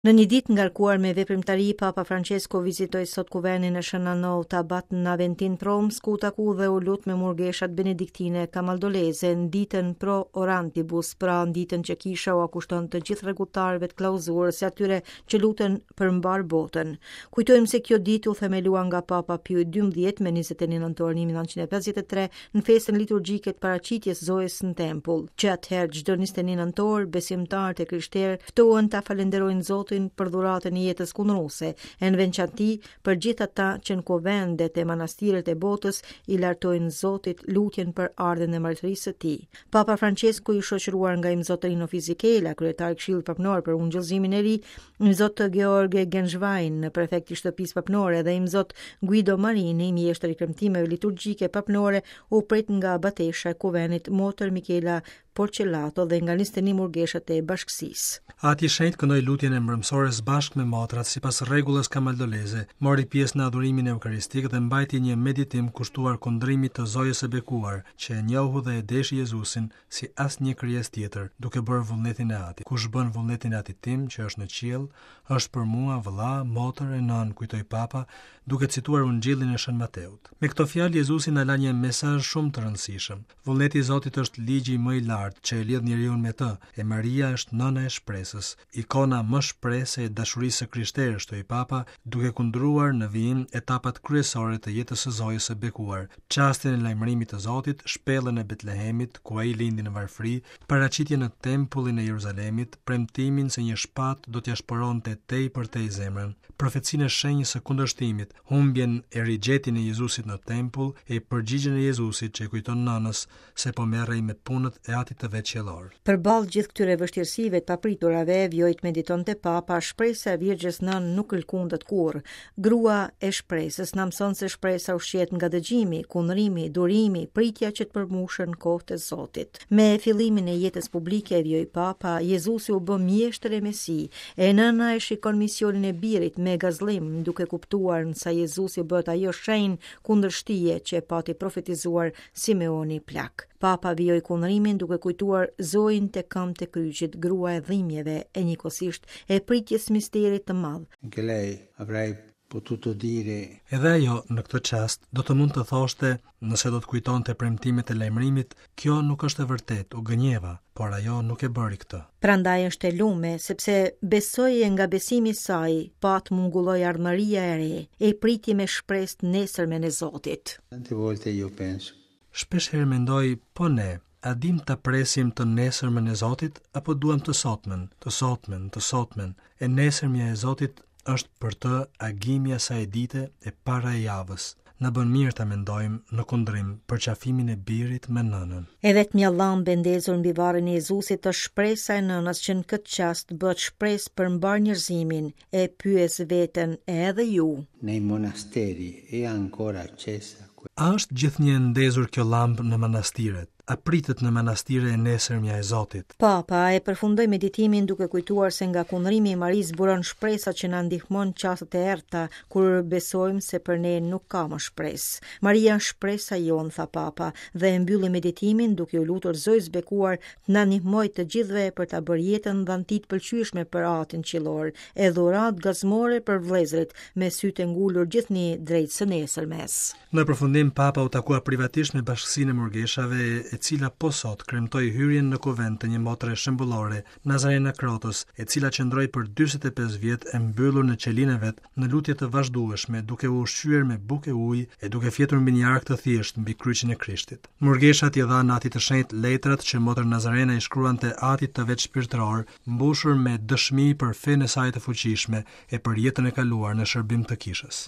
Në një ditë ngarkuar me veprimtari, Papa Francesco vizitoi sot kuvendin e Shën Naut Abat në Aventin të Romës, ku u taku dhe u lut me murgeshat benediktine kamaldoleze në ditën pro orantibus, pra në ditën që kisha ua kushton të gjithë rregulltarëve të klauzurës e atyre që luten për mbarë botën. Kujtojmë se kjo ditë u themelua nga Papa Piu XII me 21 nëntor 1953 në festën liturgjike të paraqitjes Zojës në tempull. Që atëherë çdo 21 nëntor, besimtarët e krishterë ftohen ta falënderojnë Zotin për dhuratën e jetës kundruese, e në veçanti për gjithë ata që në kuvendet e manastiret e botës i lartojnë Zotit lutjen për ardhjen e mbretërisë së tij. Papa Francesku i shoqëruar nga Imzot Rino Fisichella, kryetar i Këshillit Papnor për Ungjillëzimin e Ri, Imzot Georg Gänswein, prefekt i Shtëpisë Papnore dhe Imzot Guido Marini, mjeshtër i kremtimeve liturgjike papnore, u prit nga abatesha e kuvendit Motër Michela Porcellato dhe nga 21 murgeshat e bashkësisë. Ati i Shenjtë këndoi lutjen e mbrëmësores bashkë me motrat sipas rregullës kamaldoleze, mori pjesë në adhurimin eukaristik dhe mbajti një meditim kushtuar kundrimit të Zojës së Bekuar, që e njohu dhe e deshi Jezusin si asnjë krijesë tjetër, duke bërë vullnetin e Atit. Kush bën vullnetin e Atit tim, që është në qiell, është për mua vëlla, motër e nënë, kujtoi Papa, duke cituar Ungjillin e Shën Mateut. Me këto fjalë Jezusi na la një mesazh shumë të rëndësishëm. Vullneti i Zotit është ligji më i lartë që e lidh njeriun me të, e Maria është nëna e shpresës, ikona më shprehëse e dashurisë së krishterë, shtoi Papa, duke kundruar në vijim etapat kryesore të jetës së Zojës së Bekuar, çastin e lajmërimit të Zotit, shpellën e Betlehemit, ku ai lindi në varfëri, paraqitjen në Tempullin e Jeruzalemit, premtimin se një shpatë do t'ia shporonte tej për tej zemrën, profecinë e shenjës së kundërshtimit, humbjen e rigjetjen e Jezusit në tempull e përgjigjen e Jezusit që i kujton nënës se po merrej me punët e Atit të vet qiellor. Përballë gjithë këtyre vështirësive të papriturave, vijoi të meditonte Papa, shpresa e Virgjës Nënë nuk lëkundet kurrë. Grua e shpresës na mëson se shpresa ushqehet nga dëgjimi, kundrimi, durimi, pritja që të përmbushen kohët e Zotit. Me fillimin e jetës publike, vijoi Papa, Jezusi u bë mjeshtër e Mesi, e nëna e shikon misionin e birit me gazllim, duke kuptuar në sa Jezusi bëhet ajo shenjë kundërshtie që e pati profetizuar Simeoni Plak. Papa vijoi kundrimin duke kujtuar Zojën te këmbët e kryqit, grua e dhimbjeve e njëkohësisht e pritjes misterit të madh. Anche lei avrei potuto dire. Edhe ajo, në këtë çast, do të mund të thoshte, nëse do të kujtonte premtimet e lajmërimit, kjo nuk është e vërtetë, u gënjeva, por ajo nuk e bëri këtë. Prandaj është e lume, sepse besoi e nga besimi i saj, pa të mungulloi ardhmëria e re, e priti me shpresë të nesërmen e Zotit. Tante volte io penso. Shpesh herë mendoj, po ne, a dimë ta presim të nesërmen e Zotit apo duam të sotmen, të sotmen, të sotmen. E nesërmja e Zotit është për të agimi i asaj dite e para e javës. Na bën mirë ta mendojmë në kundrim përqafimin e birit me nënën. E vetmja llambë e ndezur mbi varrin e Jezusit është shpresa e nënës që në këtë çast bëhet shpresë për mbarë njerëzimin, e pyes veten e edhe ju. Nei monasteri è ancora accesa A është gjithnjë e ndezur kjo llambë në manastiret? A pritet në manastire e nesërmja e Zotit? Papa e përfundoi meditimin duke kujtuar se nga kundrimi i Marisë buron shpresa që na ndihmon çastet e errëta kur besojmë se për ne nuk ka më shpresë. Maria është shpresa jonë, tha Papa, dhe e mbylli meditimin duke iu lutur Zojës Bekuar të na ndihmojë të gjithëve për ta bërë jetën dhanti të pëlqyeshme për Atin Qiellor, e dhuratë gazmore për vëllezërit, me sytë e ngulur gjithnjë drejt së nesërmes. Në përfundim, Papa u takua privatisht me bashkësinë e murgeshave, e cila po sot kremtoi hyrjen në kuvend të një motre shembullore, Nazarena Krotës, e cila qëndroi për 45 vjet e mbyllur në qelinë e vet, në lutje të vazhdueshme, duke u ushqyer me bukë e ujë e duke fjetur mbi një arkë të thjeshtë mbi kryqin e Krishtit. Murgeshat i dhanë Atit të Shenjtë letrat që motër Nazarena i shkruante Atit të vet shpirtëror, mbushur me dëshmi për fenë e saj të fuqishme e për jetën e kaluar në shërbim të kishës.